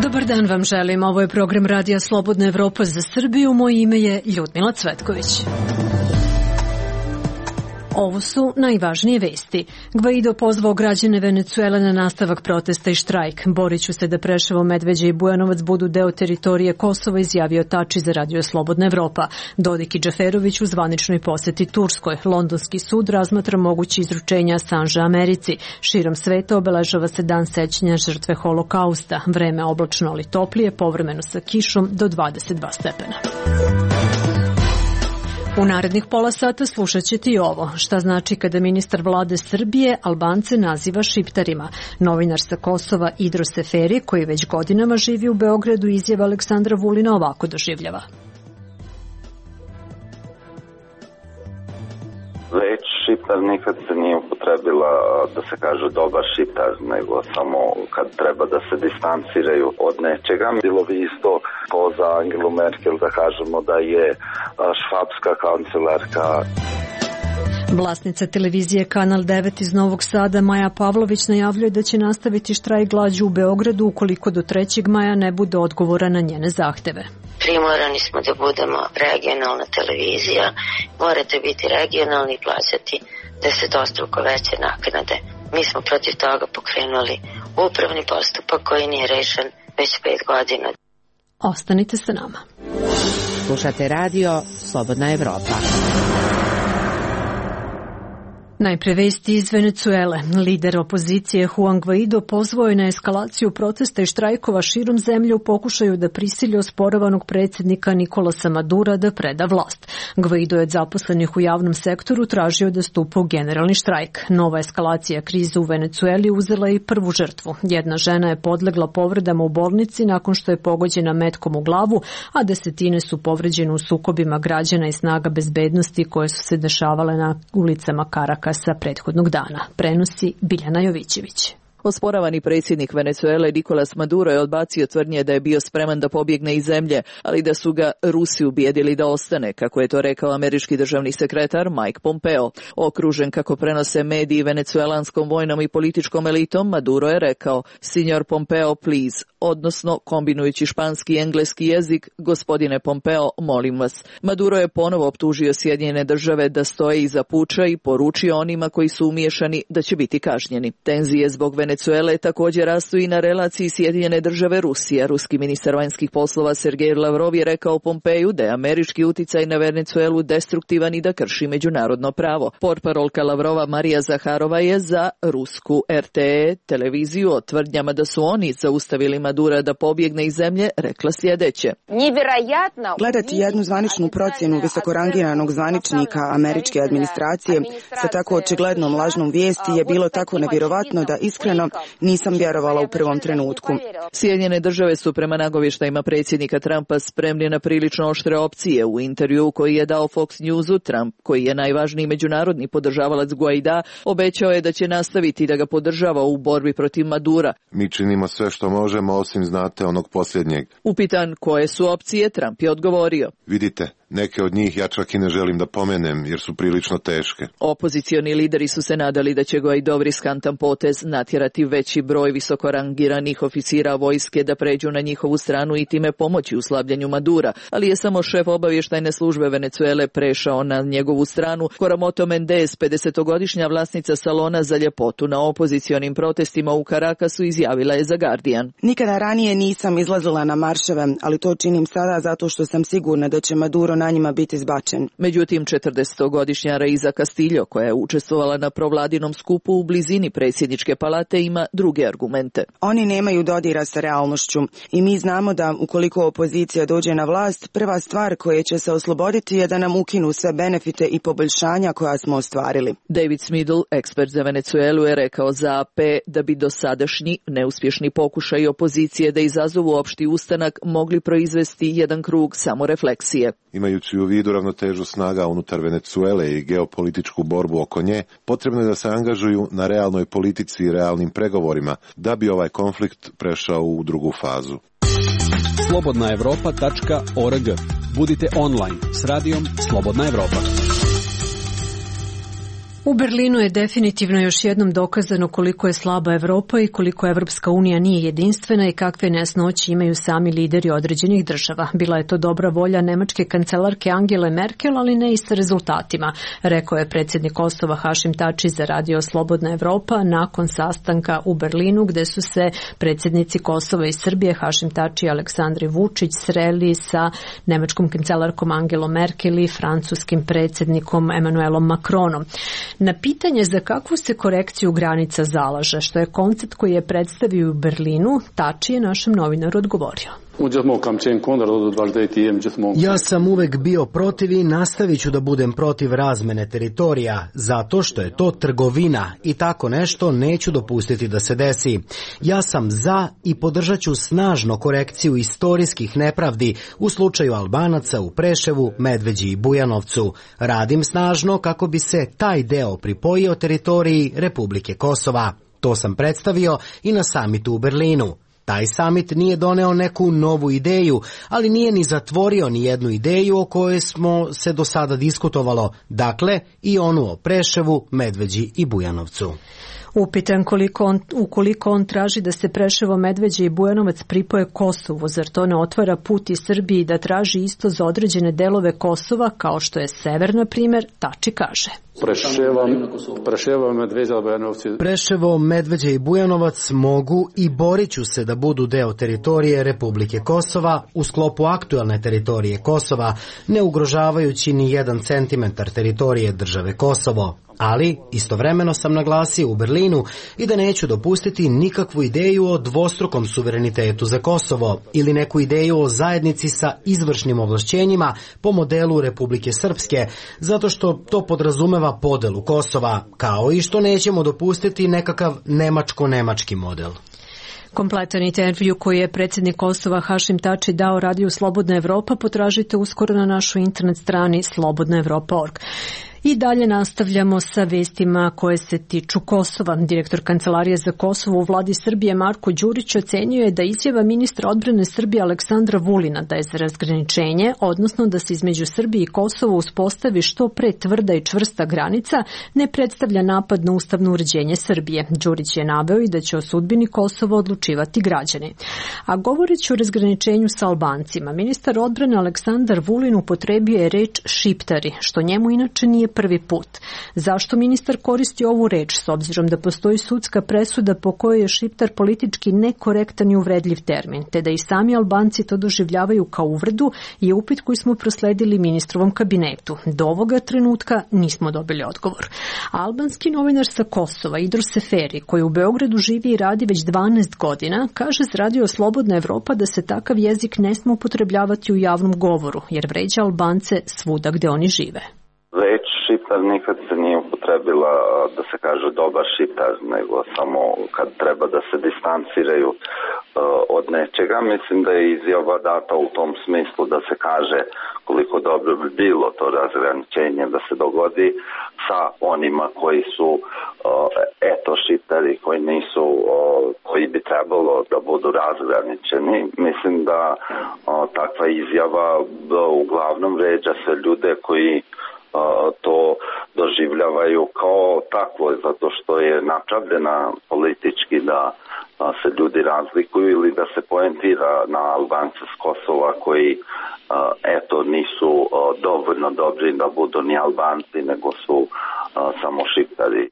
Dobar dan vam želim. Ovo je program Radija Slobodna Evropa za Srbiju. Moje ime je Ljudmila Cvetković. Ovo su najvažnije vesti. Gvaido pozvao građane Venecuele na nastavak protesta i štrajk. Borit ću se da Preševo, Medveđa i Bujanovac budu deo teritorije Kosova, izjavio Tači za Radio Slobodna Evropa. Dodik i Džaferović u zvaničnoj poseti Turskoj. Londonski sud razmatra moguće izručenja Assange Americi. Širom sveta obeležava se dan sećanja žrtve Holokausta. Vreme oblačno ali toplije, povremeno sa kišom do 22 stepena. U narednih pola sata slušat ćete i ovo. Šta znači kada ministar vlade Srbije Albance naziva šiptarima? Novinar sa Kosova Idro Seferi, koji već godinama živi u Beogradu, izjava Aleksandra Vulina ovako doživljava. Reč šiptar nikad se nije upotrebila da se kaže dobar šiptar, nego samo kad treba da se distanciraju od nečega. Bilo bi isto za Angelu Merkel da kažemo da je švabska kancelarka. Vlasnica televizije Kanal 9 iz Novog Sada Maja Pavlović najavljuje da će nastaviti štrajk glađu u Beogradu ukoliko do 3. maja ne bude odgovora na njene zahteve. Primorani smo da budemo regionalna televizija, morate biti regionalni i plaćati 10-struko veće naknade. Mi smo protiv toga pokrenuli upravni postupak koji nije rešen već 5 godina. Ostanite sa nama. Slušate radio Slobodna Evropa. Najpre vesti iz Venecuele. Lider opozicije Juan Guaido pozvao je na eskalaciju protesta i štrajkova širom zemlje u pokušaju da prisili osporavanog predsjednika Nikolasa Madura da preda vlast. Guaido je od zaposlenih u javnom sektoru tražio da stupa u generalni štrajk. Nova eskalacija krize u Venecueli uzela i prvu žrtvu. Jedna žena je podlegla povredama u bolnici nakon što je pogođena metkom u glavu, a desetine su povređene u sukobima građana i snaga bezbednosti koje su se dešavale na ulicama Karakasa prethodnog dana. Prenosi Biljana Jovićević. Osporavani predsjednik Venecuele Nicolas Maduro je odbacio tvrdnje da je bio spreman da pobjegne iz zemlje, ali da su ga Rusi ubijedili da ostane, kako je to rekao američki državni sekretar Mike Pompeo. Okružen, kako prenose mediji, venecuelanskom vojnom i političkom elitom, Maduro je rekao: "Signor Pompeo, please", odnosno kombinujući španski i engleski jezik: "Gospodine Pompeo, molim vas." Maduro je ponovo optužio Sjedinjene države da stoje iza puča i poručio onima koji su umiješani da će biti kažnjeni. Tenzije zbog Venecuele također rastu i na relaciji Sjedinjene države Rusija. Ruski ministar vanjskih poslova Sergej Lavrov je rekao Pompeju da je američki uticaj na Venecuelu destruktivan i da krši međunarodno pravo. Portparolka Lavrova Marija Zaharova je za rusku RTE televiziju o tvrdnjama da su oni zaustavili Madura da pobjegne iz zemlje rekla sljedeće: "Gledati jednu zvaničnu procjenu visokorangiranog zvaničnika američke administracije sa tako očiglednom lažnom vijesti je bilo tako nevjerovatno da iskreno nisam vjerovala u prvom trenutku." Sjedinjene države su prema nagovještajima predsjednika Trumpa spremni na prilično oštre opcije. U intervjuu koji je dao Fox Newsu, Trump, koji je najvažniji međunarodni podržavalac Guaida, obećao je da će nastaviti da ga podržava u borbi protiv Madura. "Mi činimo sve što možemo, osim, znate, onog posljednjeg." Upitan koje su opcije, Trump je odgovorio: "Vidite, neke od njih ja čak i ne želim da pomenem jer su prilično teške." Opozicioni lideri su se nadali da će Guaidov riskantan potez natjerati veći broj visokorangiranih oficira vojske da pređu na njihovu stranu i time pomoći u slabljenju Madura, ali je samo šef obavještajne službe Venecuele prešao na njegovu stranu. Coromoto Mendez, 50-godišnja vlasnica salona za ljepotu na opozicionim protestima u Carakasu, izjavila je za Guardian: "Nikada ranije nisam izlazila na marševe, ali to činim sada zato što sam sigurna da će Maduro na njima biti izbačen." Međutim, 40-godišnja Reiza Castillo, koja je učestvovala na provladinom skupu u blizini predsjedničke palate, ima druge argumente. "Oni nemaju dodira sa realnošću i mi znamo da ukoliko opozicija dođe na vlast, prva stvar koja će se osloboditi je da nam ukinu sve benefite i poboljšanja koja smo ostvarili." David Smidl, ekspert za Venecuelu, je rekao za AP da bi dosadašnji neuspješni pokušaj opozicije da izazovu opšti ustanak mogli proizvesti jedan krug samorefleksije. Imaju imajući u vidu ravnotežu snaga unutar Venecuele i geopolitičku borbu oko nje, potrebno je da se angažuju na realnoj politici i realnim pregovorima da bi ovaj konflikt prešao u drugu fazu. slobodnaevropa.org. Budite online s radijom Slobodna Evropa. U Berlinu je definitivno još jednom dokazano koliko je slaba Evropa i koliko Evropska unija nije jedinstvena i kakve nejasnoće imaju sami lideri određenih država. Bila je to dobra volja nemačke kancelarke Angele Merkel, ali ne i sa rezultatima, rekao je predsjednik Kosova Hašim Tači za radio Slobodna Evropa nakon sastanka u Berlinu gde su se predsjednici Kosova i Srbije Hašim Tači i Aleksandar Vučić sreli sa nemačkom kancelarkom Angelom Merkel i francuskim predsjednikom Emmanuelom Macronom. Na pitanje za kakvu se korekciju granica zalaže, što je koncept koji je predstavio u Berlinu, Tači je našem novinaru odgovorio. Ja sam uvek bio protiv i nastavit ću da budem protiv razmene teritorija, zato što je to trgovina i tako nešto neću dopustiti da se desi. Ja sam za i podržat ću snažno korekciju istorijskih nepravdi u slučaju Albanaca u Preševu, Medveđi i Bujanovcu. Radim snažno kako bi se taj deo pripojio teritoriji Republike Kosova. To sam predstavio i na samitu u Berlinu. Taj samit nije doneo neku novu ideju, ali nije ni zatvorio ni jednu ideju o kojoj smo se do sada diskutovalo, dakle i onu o Preševu, Medveđi i Bujanovcu. Upitan ukoliko on traži da se Preševo, Medveđa i Bujanovac pripoje Kosovu, zar to ne otvara put i Srbiji da traži isto za određene delove Kosova, kao što je sever, na primjer, Tači kaže. Preševo, Medveđa i Bujanovac mogu i borit ću se da budu deo teritorije Republike Kosova u sklopu aktuelne teritorije Kosova, ne ugrožavajući ni 1 centimetar teritorije države Kosovo. Ali istovremeno sam naglasio u Berlinu i da neću dopustiti nikakvu ideju o dvostrukom suverenitetu za Kosovo ili neku ideju o zajednici sa izvršnim ovlašćenjima po modelu Republike Srpske, zato što to podrazumeva podelu Kosova, kao i što nećemo dopustiti nekakav nemačko-nemački model. Kompletan intervju koji je predsjednik Kosova Hašim Tači dao radiju Slobodna Evropa potražite uskoro na našoj internet strani slobodnaevropa.org. I dalje nastavljamo sa vestima koje se tiču Kosova. Direktor Kancelarije za Kosovo u vladi Srbije Marko Đurić ocenjuje da izjava ministra odbrane Srbije Aleksandra Vulina da je za razgraničenje, odnosno da se između Srbije i Kosova uspostavi što pre tvrda i čvrsta granica, ne predstavlja napad na ustavno uređenje Srbije. Đurić je naveo i da će o sudbini Kosova odlučivati građani. A govoreći o razgraničenju sa Albancima, ministar odbrane Aleksandar Vulin upotrebio je reč šiptari, što njemu inače nije prvi put. Zašto ministar koristi ovu reč, s obzirom da postoji sudska presuda po kojoj je šiptar politički nekorektan i uvredljiv termin, te da i sami Albanci to doživljavaju kao uvredu, je upit koji smo prosledili ministrovom kabinetu. Do ovoga trenutka nismo dobili odgovor. Albanski novinar sa Kosova, Idris Seferi, koji u Beogradu živi i radi već 12 godina, kaže za radio Slobodna Evropa da se takav jezik ne sme upotrebljavati u javnom govoru, jer vređa Albance svuda gde oni žive. Reč šiptar nikad se nije upotrebila da se kaže dobar šiptar, nego samo kad treba da se distanciraju od nečega. Mislim da je izjava data u tom smislu da se kaže koliko dobro bi bilo to razgraničenje da se dogodi sa onima koji su šiptari, koji nisu, koji bi trebalo da budu razgraničeni. Mislim da takva izjava uglavnom vređa se ljude koji to doživljavaju kao takvo, zato što je napravljena politički da se ljudi razlikuju ili da se poentira na Albance s Kosova koji nisu dovoljno dobri da budu ni Albanci, nego su samo šiptari.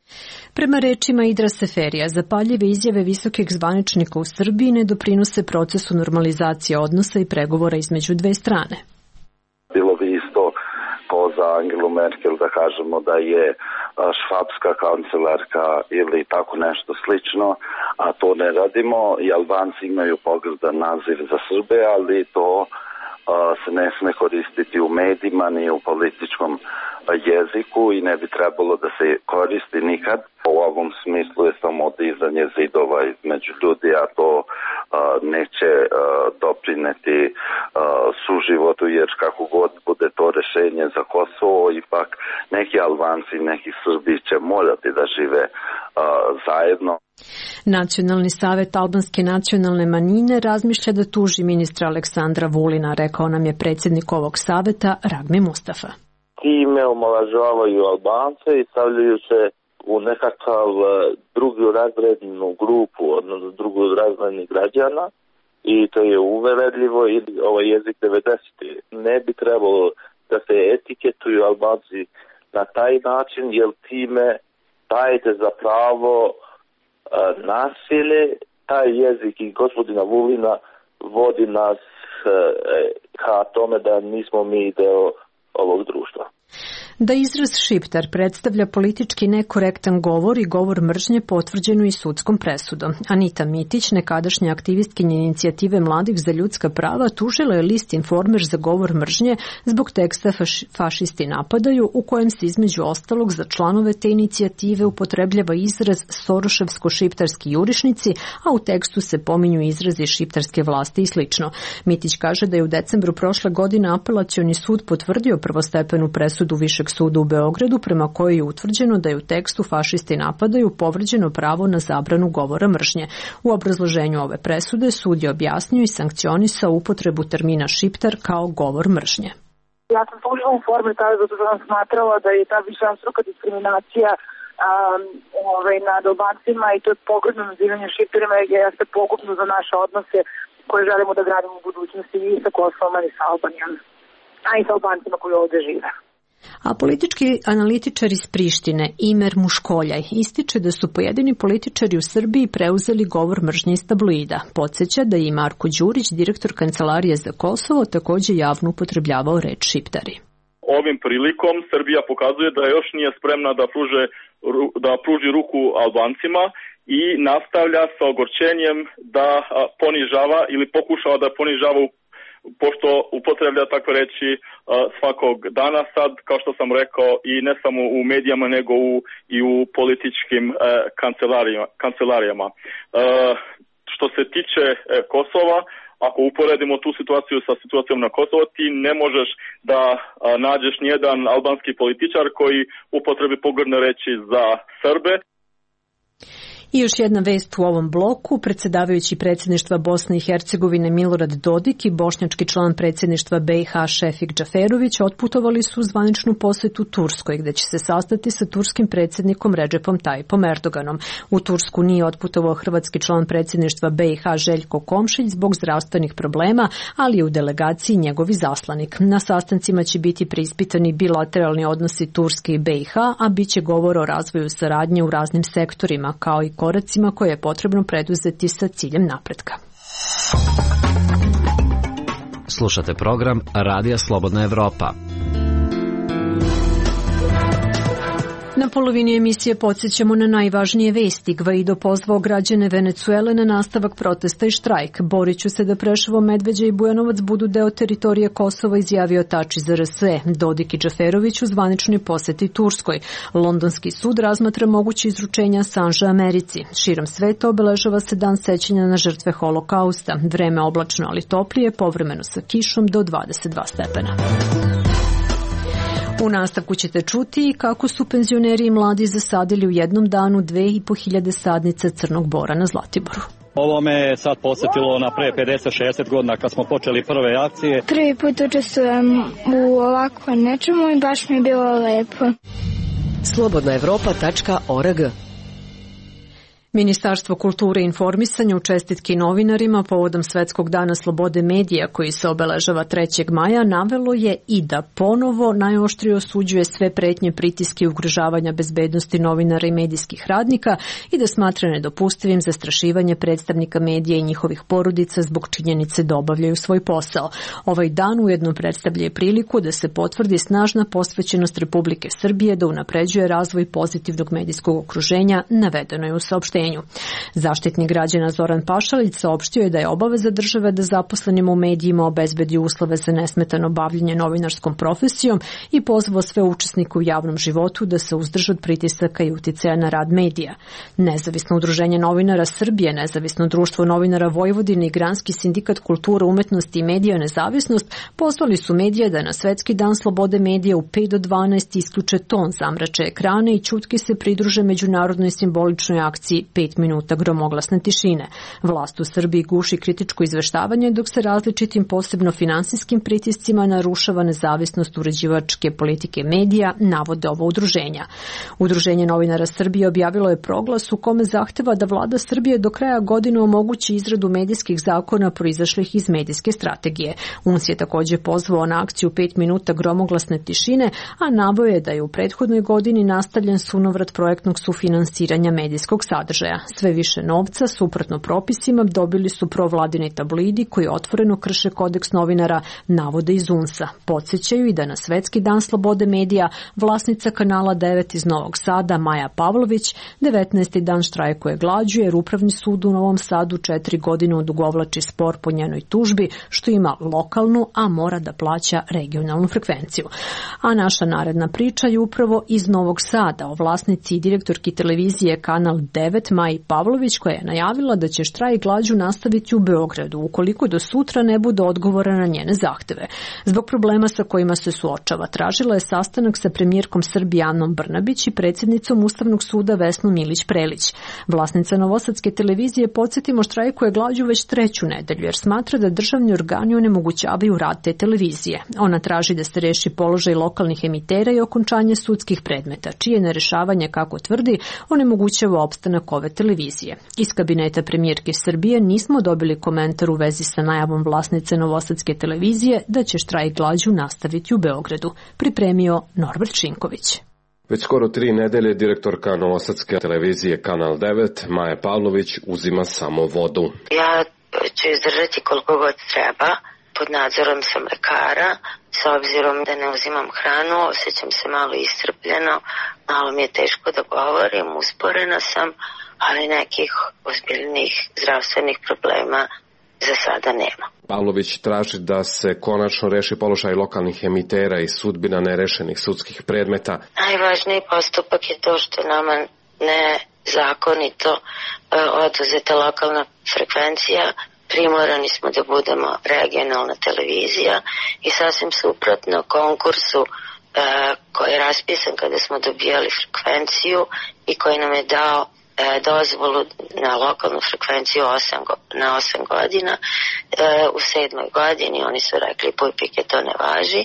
Prema rečima Idra Seferija, zapaljive izjave visokih zvaničnika u Srbiji ne doprinose procesu normalizacije odnosa i pregovora između dve strane. Bilo bi isto za Angelu Merkel da kažemo da je švabska kancelarka ili tako nešto slično, a to ne radimo i Albanci imaju pogrdan naziv za Srbe, ali to se ne sme koristiti u medijima ni u političkom jeziku i ne bi trebalo da se koristi nikad. U ovom smislu je samo dizanje zidova između ljudi, a to neće doprineti suživotu, jer kako god bude to rešenje za Kosovo, ipak neki Albanci i neki Srbi će morati da žive zajedno. Nacionalni savet albanske nacionalne manjine razmišlja da tuži ministra Aleksandra Vulina, rekao nam je predsjednik ovog saveta Ragmi Mustafa. Time omalažavaju Albance i stavljaju se u nekakav drugu razrednu grupu, odnosno drugu razrednih građana, i to je uveredljivo i ovaj jezik 90. Ne bi trebalo da se etiketuju Albanci na taj način, jer time dajete za pravo nasilje. Taj jezik i gospodina Vulina vodi nas ka tome da nismo mi deo ovog društva. Da izraz šiptar predstavlja politički nekorektan govor i govor mržnje potvrđenu i sudskom presudom. Anita Mitić, nekadašnja aktivistkinja inicijative Mladih za ljudska prava, tužila je list Informer za govor mržnje zbog teksta Fašisti napadaju, u kojem se između ostalog za članove te inicijative upotrebljava izraz soroševsko-šiptarski jurišnici, a u tekstu se pominju izrazi šiptarske vlasti i slično. Mitić kaže da je u decembru prošle godine Apelacioni sud potvrdio prvostepenu presudu Višeg suda u Beogradu, prema kojoj je utvrđeno da je u tekstu Fašisti napadaju povređeno pravo na zabranu govora mržnje. U obrazloženju ove presude sud je objasnio i sankcionisao upotrebu termina šiptar kao govor mržnje. Ja sam tužila u formi tada zato što sam smatrala da je ta višestruka diskriminacija nad Albancima i to je pogrdno nazivanje šiptarima jeste pogubno za naše odnose koje želimo da gradimo u budućnosti i sa Kosovom i sa Albanijom, a i sa Albancima koji ovdje žive. A politički analitičar iz Prištine, Imer Muškoljaj, ističe da su pojedini političari u Srbiji preuzeli govor mržnje iz tabloida. Podsjeća da je i Marko Đurić, direktor Kancelarije za Kosovo, također javno upotrebljavao reč šiptari. Ovim prilikom Srbija pokazuje da još nije spremna da pruži ruku Albancima i nastavlja sa ogorčenjem da ponižava ili pokušava da ponižava, pošto upotreblja takve reči svakog dana sad, kao što sam rekao, i ne samo u medijama, nego i u političkim kancelarijama. Što se tiče Kosova, ako uporedimo tu situaciju sa situacijom na Kosovo, ti ne možeš da nađeš nijedan albanski političar koji upotrebi pogrdne reči za Srbe. I još jedna vest u ovom bloku. Predsjedavajući predsjedništva Bosne i Hercegovine Milorad Dodik i bošnjački član predsjedništva BiH Šefik Džaferović otputovali su u zvaničnu posjetu Turskoj, gdje će se sastati sa turskim predsjednikom Redžepom Tayyipom Erdoganom. U Tursku nije otputovao hrvatski član predsjedništva BiH Željko Komšić zbog zdravstvenih problema, ali je u delegaciji njegov izaslanik. Na sastancima će biti preispitani bilateralni odnosi Turske i BiH, a bit će govor o razvoju saradnje u raznim sektorima, kao i koracima koje je potrebno preduzeti sa ciljem napretka. Slušate program Radija Slobodna Evropa. Na polovini emisije podsjećamo na najvažnije vesti. Gvaido pozvao građane Venecuele na nastavak protesta i štrajk. Borit ću se da Preševo, Medveđa i Bujanovac budu deo teritorije Kosova, izjavio Tači za RS. Dodik i Džaferović u zvaničnoj poseti Turskoj. Londonski sud razmatra moguće izručenja Assange Americi. Širom sveta obeležava se dan sećanja na žrtve holokausta. Vreme oblačno, ali toplije, povremeno sa kišom do 22 stepena. U nastavku ćete čuti kako su penzioneri i mladi zasadili u jednom danu 2500 sadnica crnog bora na Zlatiboru. Ovo me sad posjetilo na pre 50-60 godina kad smo počeli prve akcije. Prvi put učestvujem u ovako nečemu i baš mi je bilo lepo. Slobodnaevropa.org. Ministarstvo kulture i informisanja u čestitki novinarima povodom Svetskog dana slobode medija koji se obeležava 3. maja navelo je i da ponovo najoštrije osuđuje sve pretnje, pritiske i ugrožavanja bezbednosti novinara i medijskih radnika i da smatra nedopustivim zastrašivanje predstavnika medija i njihovih porodica zbog činjenice da obavljaju svoj posao. Ovaj dan ujedno predstavlja priliku da se potvrdi snažna posvećenost Republike Srbije da unapređuje razvoj pozitivnog medijskog okruženja, navedeno je u saopštenju. udruženju. Zaštitnik građana Zoran Pašalić saopštio je da je obaveza države da zaposlenima u medijima obezbedi uslove za nesmetano bavljenje novinarskom profesijom i pozvao sve učesnike u javnom životu da se uzdrže od pritisaka i uticaja na rad medija. Nezavisno udruženje novinara Srbije, Nezavisno društvo novinara Vojvodine i Granski sindikat kulture, umetnosti i medija Nezavisnost pozvali su medije da na Svetski dan slobode medija u 5 do 12 isključe ton, zamrače ekrane i ćutki se pridruže međunarodnoj simboličnoj akciji 5 minuta gromoglasne tišine. Vlast u Srbiji guši kritičko izveštavanje dok se različitim posebno finansijskim pritiscima narušava nezavisnost uređivačke politike medija, navode ovo udruženja. Udruženje novinara Srbije objavilo je proglas u kome zahteva da vlada Srbije do kraja godine omogući izradu medijskih zakona proizašlih iz medijske strategije. UNS je također pozvao na akciju 5 minuta gromoglasne tišine, a naveo je da je u prethodnoj godini nastavljen sunovrat projektnog sufinansiranja medijskog sadržaja. Sve više novca, suprotno propisima, dobili su provladini tabloidi koji otvoreno krše kodeks novinara, navode iz UNS-a. Podsjećaju i da na Svetski dan slobode medija vlasnica kanala 9 iz Novog Sada, Maja Pavlović, 19. dan štrajkuje glađu jer Upravni sud u Novom Sadu 4 godine odugovlači spor po njenoj tužbi, što ima lokalnu, a mora da plaća regionalnu frekvenciju. A naša naredna priča je upravo iz Novog Sada o vlasnici i direktorki televizije Kanal 9 Maji Pavlović, koja je najavila da će štrajk glađu nastaviti u Beogradu ukoliko do sutra ne bude odgovora na njene zahteve. Zbog problema sa kojima se suočava, tražila je sastanak sa premijerkom Srbije Anom Brnabić i predsjednicom Ustavnog suda Vesnom Milić-Prelić. Vlasnica Novosadske televizije, podsjetimo, štrajkuje glađu već 3. nedelju jer smatra da državni organi onemogućavaju rad te televizije. Ona traži da se reši položaj lokalnih emitera i okončanje sudskih predmeta, čije nerešavanje, kako tvrdi, onemogućava opstanak ove televizije. Iz kabineta premijerke Srbije nismo dobili komentar u vezi sa najavom vlasnice Novosadske televizije da će štrajk glađu nastaviti u Beogradu, pripremio Norbert Šinković. Već skoro 3 nedelje direktorka Novosadske televizije Kanal 9, Maja Pavlović, uzima samo vodu. Ja ću izdržati koliko god treba. Pod nadzorom sam lekara, s obzirom da ne uzimam hranu, osjećam se malo iscrpljeno, malo mi je teško da govorim, usporena sam, ali nekih ozbiljnih zdravstvenih problema za sada nema. Pavlović traži da se konačno reši položaj lokalnih emitera i sudbina nerešenih sudskih predmeta. Najvažniji postupak je to što nama nezakonito oduzeta lokalna frekvencija. Primorani smo da budemo regionalna televizija i sasvim suprotno konkursu koji je raspisan kada smo dobijali frekvenciju i koji nam je dao dozvolu na lokalnu frekvenciju na 8 godina. U 7. godini oni su rekli pujpike, to ne važi.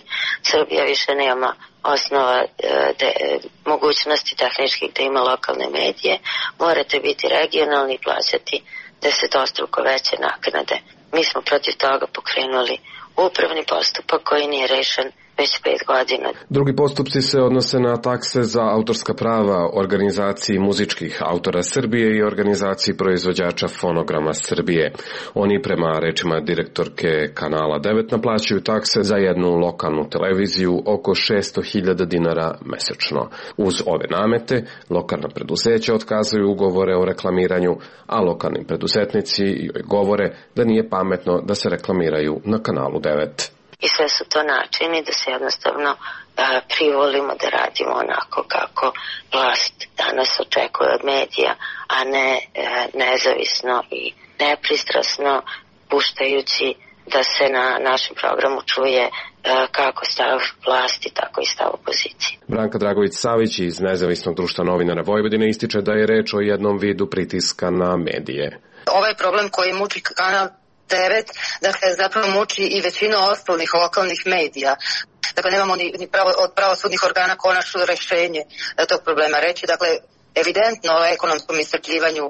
Srbija više nema osnova mogućnosti tehničkih da ima lokalne medije. Morate biti regionalni i plaćati 10-struko veće naknade. Mi smo protiv toga pokrenuli upravni postupak koji nije rešen već 5 godina. Drugi postupci se odnose na takse za autorska prava organizaciji muzičkih autora Srbije i organizaciji proizvođača fonograma Srbije. Oni, prema rečima direktorke Kanala 9, naplaćuju takse za jednu lokalnu televiziju oko 600.000 dinara mesečno. Uz ove namete, lokalna preduzeća otkazuju ugovore o reklamiranju, a lokalni preduzetnici joj govore da nije pametno da se reklamiraju na Kanalu 9. I sve su to načini da se jednostavno privolimo da radimo onako kako vlast danas očekuje od medija, a ne nezavisno i nepristrasno, puštajući da se na našem programu čuje kako stav vlasti, tako i stav opozicije. Branka Dragović-Savić iz Nezavisnog društva novinara Vojvodine ističe da je reč o jednom vidu pritiska na medije. Ovaj problem koji muči Kanal 9, dakle zapravo muči i većinu ostalih lokalnih medija. Dakle, nemamo ni od pravosudnih organa konačno rešenje tog problema. Reći, dakle, evidentno o ekonomskom iscrpljivanju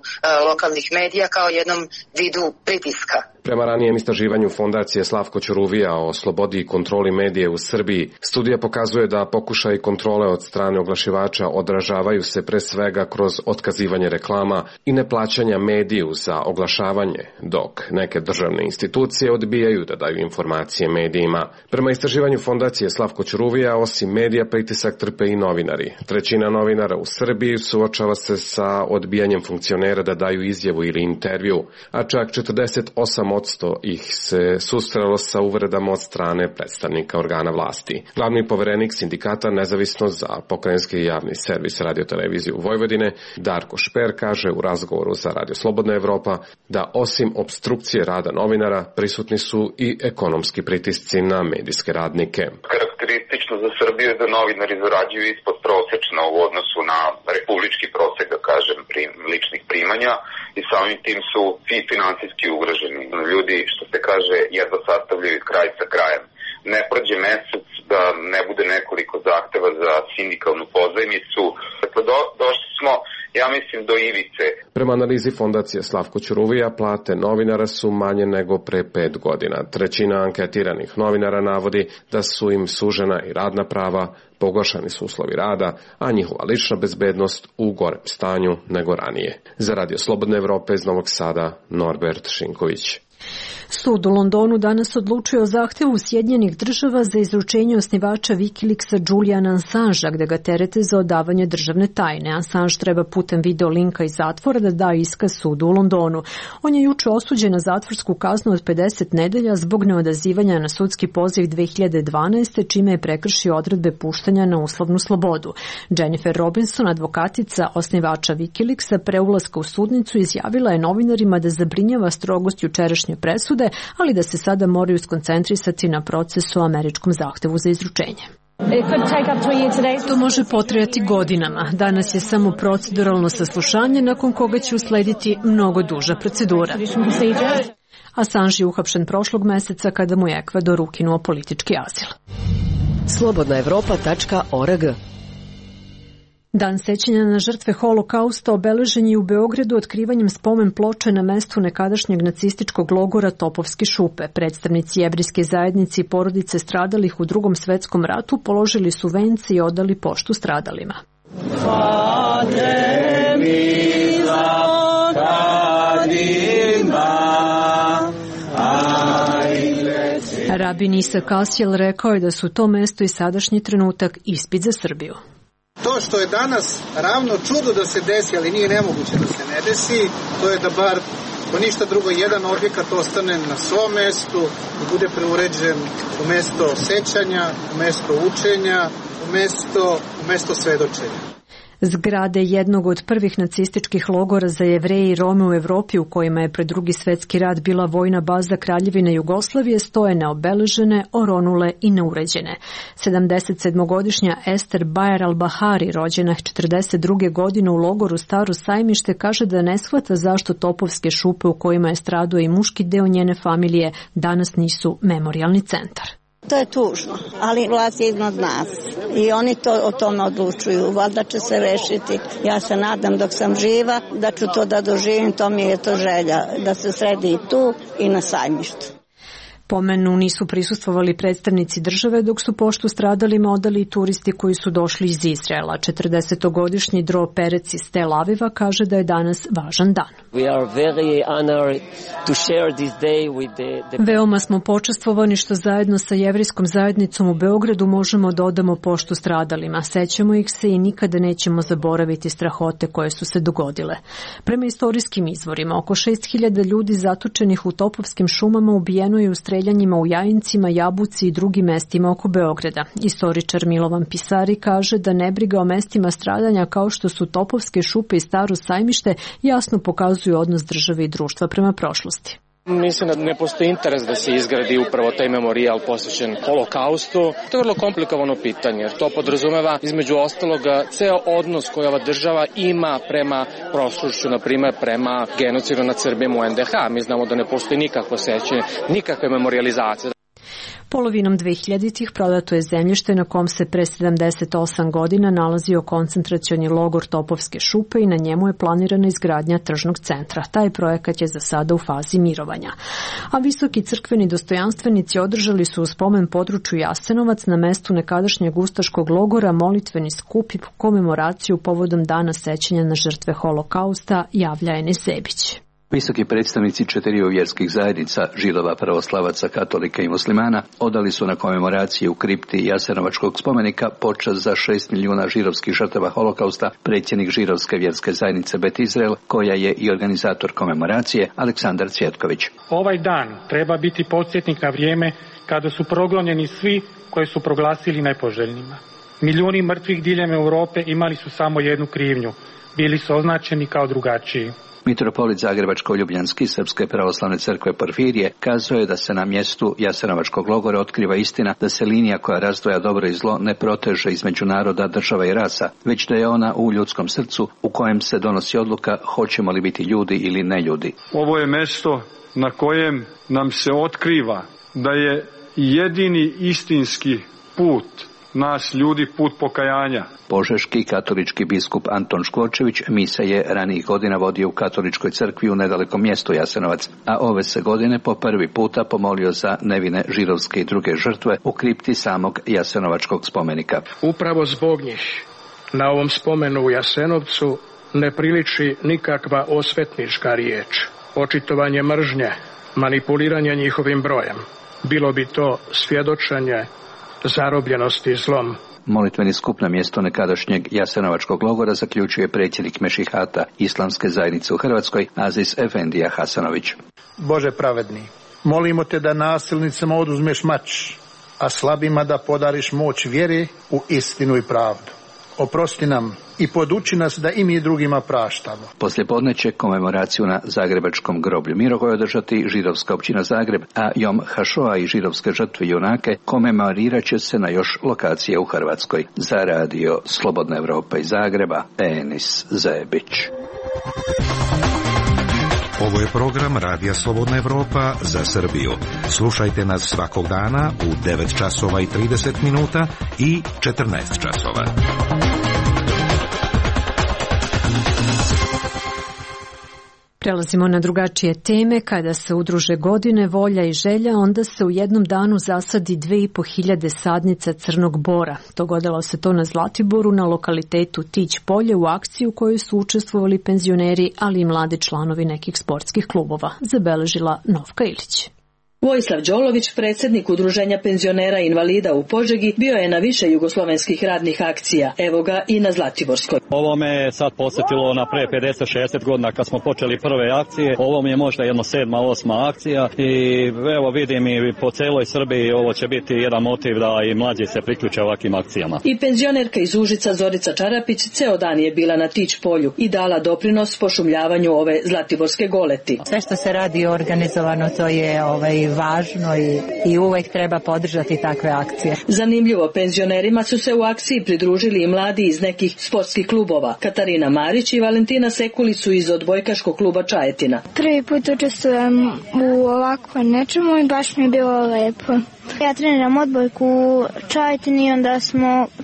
lokalnih medija kao jednom vidu pritiska. Prema ranijem istraživanju Fondacije Slavko Ćuruvija o slobodi i kontroli medije u Srbiji, studija pokazuje da pokušaj kontrole od strane oglašivača odražavaju se pre svega kroz otkazivanje reklama i neplaćanja mediju za oglašavanje, dok neke državne institucije odbijaju da daju informacije medijima. Prema istraživanju Fondacije Slavko Ćuruvija, osim medija, pritisak trpe i novinari. Trećina novinara u Srbiji suočava se sa odbijanjem funkcionera da daju izjavu ili intervju, a čak 48% ih se susrelo sa uvredama od strane predstavnika organa vlasti. Glavni poverenik sindikata Nezavisno za pokrajinski javni servis radioteleviziju Vojvodine, Darko Šper, kaže u razgovoru za Radio Slobodna Evropa da osim opstrukcije rada novinara prisutni su i ekonomski pritisci na medijske radnike. Karakteristično za Srbiju je da novinari zarađuju ispod prosečno u odnosu na republički prosek, da kažem, ličnih primanja i samim tim su finansijski ugroženi. Ljudi, što se kaže, jedva sastavljaju kraj sa krajem. Ne prođe mesec da ne bude nekoliko zahteva za sindikalnu pozajmicu. Dakle, došli smo, ja mislim, do ivice. Prema analizi Fondacije Slavko Ćuruvija, plate novinara su manje nego pre 5 godina. Trećina anketiranih novinara navodi da su im sužena i radna prava, pogoršani su uslovi rada, a njihova lična bezbednost u gorem stanju nego ranije. Za Radio Slobodne Evrope iz Novog Sada, Norbert Šinković. Sud u Londonu danas odlučio o zahtevu Sjedinjenih država za izručenje osnivača Wikileaksa Juliana Assangea, gde ga terete za odavanje državne tajne. Assange treba putem video linka iz zatvora da da iskaz sudu u Londonu. On je juče osuđen na zatvorsku kaznu od 50 nedelja zbog neodazivanja na sudski poziv 2012. čime je prekršio odredbe puštanja na uslovnu slobodu. Jennifer Robinson, advokatica osnivača Wikileaksa, pre ulaska u sudnicu izjavila je novinarima da zabrinjava strogost jučerašnje presude, ali da se sada moraju skoncentrisati na proces o američkom zahtevu za izručenje. To može potrajati godinama. Danas je samo proceduralno saslušanje, nakon koga će uslediti mnogo duža procedura. Assange je uhapšen prošlog meseca kada mu je Ekvador ukinuo politički azil. slobodnaevropa.org. Dan sećanja na žrtve Holokausta obeležen je u Beogradu otkrivanjem spomen ploče na mestu nekadašnjeg nacističkog logora Topovske šupe. Predstavnici jevrijske zajednice i porodice stradalih u Drugom svetskom ratu položili su vence i odali poštu stradalima. Rabin Isak Asjel rekao je da su to mesto i sadašnji trenutak ispit za Srbiju. To što je danas ravno čudo da se desi, ali nije nemoguće da se ne desi, to je da bar, ko ništa drugo, jedan objekat ostane na svom mestu, da bude preuređen u mesto sećanja, u mesto učenja, u mesto svedočenja. Zgrade jednog od prvih nacističkih logora za Jevreje i Rome u Evropi, u kojima je pred Drugi svetski rat bila vojna baza Kraljevine Jugoslavije, stoje neobeležene, oronule i neuređene. 77-godišnja Ester Bajer al-Bahari, rođena 42. godine u logoru Staro Sajmište, kaže da ne shvata zašto Topovske šupe u kojima je stradao i muški deo njene familije danas nisu memorijalni centar. To je tužno, ali vlast je iznad nas i oni o tome odlučuju. Valjda će se rešiti. Ja se nadam dok sam živa da ću to da doživim, to mi je to želja, da se sredi i tu i na Sajmištu. Pomenu nisu prisustvovali predstavnici države, dok su poštu stradalima odali i turisti koji su došli iz Izraela. 40-godišnji Dro Perec iz Tel Aviva kaže da je danas važan dan. Veoma smo počastvovani što zajedno sa jevrijskom zajednicom u Beogradu možemo da odamo poštu stradalima. Sećamo ih se i nikada nećemo zaboraviti strahote koje su se dogodile. Prema istorijskim izvorima, oko 6000 ljudi zatočenih u Topovskim šumama ubijeno je u streljanjima u Jajincima, Jabuci i drugim mestima oko Beograda. Istoričar Milovan Pisari kaže da nebriga o mestima stradanja kao što su Topovske šupe i Staro Sajmište jasno pokazuju odnos države i društva prema prošlosti. Mislim da ne postoji interes da se izgradi upravo taj memorijal posvećen Holokaustu. To je vrlo komplikovano pitanje, jer to podrazumeva između ostaloga ceo odnos koji ova država ima prema prošlošću, na primjer prema genocidu nad Srbima u NDH. Mi znamo da ne postoji nikakvo sećanje, nikakve memorijalizacije. Polovinom 2000-ih prodato je zemljište na kom se pre 78 godina nalazio koncentracioni logor Topovske šupe i na njemu je planirana izgradnja tržnog centra. Taj projekat je za sada u fazi mirovanja. A visoki crkveni dostojanstvenici održali su u spomen području Jasenovac na mestu nekadašnjeg ustaškog logora molitveni skup i komemoraciju povodom dana sećanja na žrtve holokausta, javlja Enis Zebić. Visoki predstavnici 4 vjerskih zajednica, židova, pravoslavaca, katolika i muslimana, odali su na komemoraciji u kripti Jasenovačkog spomenika počast za 6 milijuna židovskih žrtava holokausta predsjednik židovske vjerske zajednice Bet Izrael, koja je i organizator komemoracije, Aleksandar Cvjetković. Ovaj dan treba biti podsjetnik na vrijeme kada su progonjeni svi koje su proglasili nepoželjnima. Milijuni mrtvih diljem Europe imali su samo jednu krivnju, bili su označeni kao drugačiji. Mitropolit Zagrebačko-Ljubljanski Srpske pravoslavne crkve Porfirije kazao je da se na mjestu Jasenovačkog logora otkriva istina da se linija koja razdvaja dobro i zlo ne proteže između naroda, država i rasa, već da je ona u ljudskom srcu u kojem se donosi odluka hoćemo li biti ljudi ili ne ljudi. Ovo je mjesto na kojem nam se otkriva da je jedini istinski put nas ljudi put pokajanja. Požeški katolički biskup Anton Škvorčević misa je ranijih godina vodio u katoličkoj crkvi u nedalekom mjestu Jasenovac, a ove se godine po prvi puta pomolio za nevine židovske i druge žrtve u kripti samog Jasenovačkog spomenika. Upravo zbog njih na ovom spomenu u Jasenovcu ne priliči nikakva osvetnička riječ, očitovanje mržnje, manipuliranje njihovim brojem. Bilo bi to svjedočenje zarobljenosti zlom. Molitveni skup na mjesto nekadašnjeg Jasenovačkog logora zaključuje predsjednik Mešihata Islamske zajednice u Hrvatskoj Aziz Efendija Hasanović. Bože pravedni, molimo te da nasilnicima oduzmeš mač, a slabima da podariš moć vjere u istinu i pravdu. Oprosti nam i poduči nas da i mi drugima praštamo. Poslijepodne će komemoraciju na Zagrebačkom groblju Mirogoj održati židovska općina Zagreb, a Jom Hašoa i židovske žrtve junake komemorirat će se na još lokacije u Hrvatskoj. Za radio Slobodna Evropa iz Zagreba, Enis Zebić. Ovo je program Radija Slobodna Evropa za Srbiju. Slušajte nas svakog dana u 9 časova i 30 minuta i 14 časova. Prelazimo na drugačije teme. Kada se udruže godine, volja i želja, onda se u jednom danu zasadi 2500 sadnica crnog bora. Dogodilo se to na Zlatiboru, na lokalitetu Tić polje, u akciji u kojoj su učestvovali penzioneri, ali i mladi članovi nekih sportskih klubova, zabeležila Novka Ilić. Vojislav Đolović, predsjednik Udruženja penzionera i invalida u Požegi, bio je na više jugoslovenskih radnih akcija. Evo ga i na Zlatiborskoj. Ovo me je sad posjetilo na pre 50-60 godina kad smo počeli prve akcije. Ovo mi je možda jedno 7. 8. akcija i evo vidim i po celoj Srbiji ovo će biti jedan motiv da i mlađi se priključe ovakvim akcijama. I penzionerka iz Užica Zorica Čarapić ceo dan je bila na Tić polju i dala doprinos pošumljavanju ove Zlatiborske goleti. Sve što se radi organizovano, to je važno i uvek treba podržati takve akcije. Zanimljivo, penzionerima su se u akciji pridružili i mladi iz nekih sportskih klubova. Katarina Marić i Valentina Sekulić su iz odbojkaškog kluba Čajetina. Prvi put učestvujem u ovako nečemu i baš mi je bilo lepo. Ja treniram odbojku u Čajetini i onda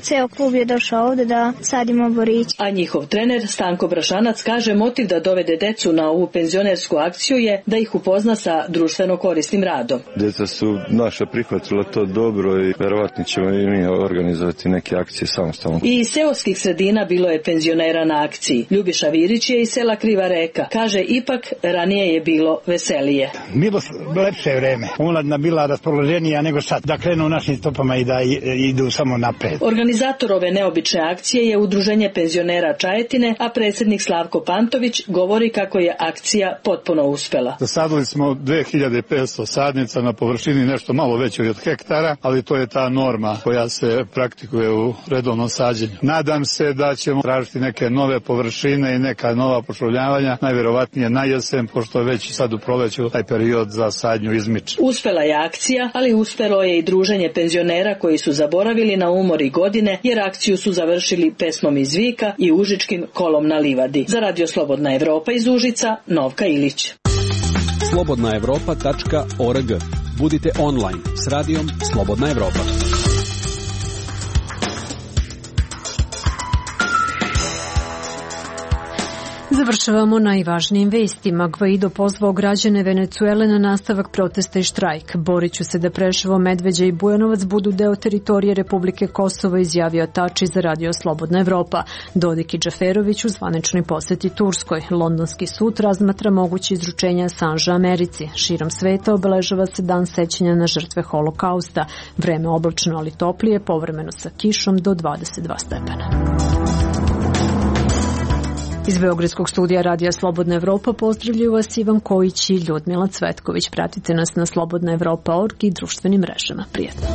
ceo klub je došao ovde da sadimo borić. A njihov trener Stanko Brašanac kaže motiv da dovede decu na ovu penzionersku akciju je da ih upozna sa društveno korisnim radom. Djeca su naša prihvatila to dobro i verovatno ćemo i mi organizovati neke akcije samostalno. I iz seoskih sredina bilo je penzionera na akciji. Ljubiša Virić je iz sela Kriva Reka. Kaže ipak ranije je bilo veselije. Bilo lepše vreme. Omladina bila raspoloženija nego sad, da krenu našim stopama i da idu samo napred. Organizator ove neobične akcije je Udruženje penzionera Čajetine, a predsjednik Slavko Pantović govori kako je akcija potpuno uspela. Zasadili smo 2500 sadnica na površini nešto malo većoj od hektara, ali to je ta norma koja se praktikuje u redovnom sađenju. Nadam se da ćemo tražiti neke nove površine i neka nova pošumljavanja, najvjerovatnije na jesen, pošto je već sad u proleću taj period za sadnju izmiče. Uspela je akcija, ali uspelo je i druženje penzionera koji su zaboravili na umor i godine, jer akciju su završili pesmom iz Vika i užičkim kolom na livadi. Za Radio Slobodna Evropa iz Užica, Novka Ilić. slobodnaevropa.org. Budite online s radijom Slobodna Evropa. Završavamo najvažnijim vestima. Gvaido pozvao građane Venecuele na nastavak protesta i štrajk. Borit ću se da Preševo, Medveđa i Bujanovac budu deo teritorije Republike Kosovo, izjavio Tači za radio Slobodna Evropa. Dodik i Džaferović u zvaničnoj poseti Turskoj. Londonski sud razmatra moguće izručenja Assange Americi. Širom sveta obeležava se dan sećanja na žrtve holokausta. Vreme oblačno, ali toplije, povremeno sa kišom do 22 stepena. Iz Beogradskog studija Radija Slobodna Evropa pozdravljaju vas Ivan Kojić i Ljudmila Cvetković. Pratite nas na slobodnaevropa.org i društvenim mrežama. Prijetno.